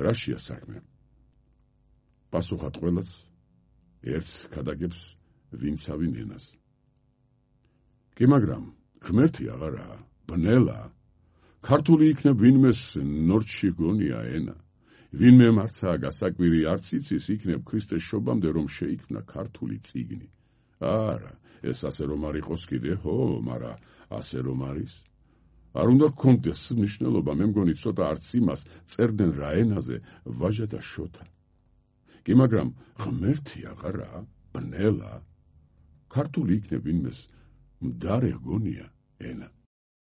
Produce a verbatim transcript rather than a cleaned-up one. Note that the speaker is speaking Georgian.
რაშია საქმე? პასუხად ყველას ერთს ქადაგებს ვინცავინ ენას. კი მაგრამ ღმერთი აღარაა, ბნელა. ქართული იქნებ ვინმეს ნორჩი გონია ენა. ვინმე მარცა გასაკვირი არც იცის იქნებ ქრისტეს შობამდე რომ შეიქმნა ქართული წიგნი. არა, ეს ასე რომ არ იყოს კიდე, ხო, მარა ასე რომ არის. არ უნდა გქონდეს მნიშვნელობა, მე მგონი ცოტა არც იმას წერდნენ რა ენაზე ვაჟა და შოთა. კი მაგრამ ღმერთი აღარაა, ბნელა. ქართული იქნებ ვინმეს მდარე გონია ენა.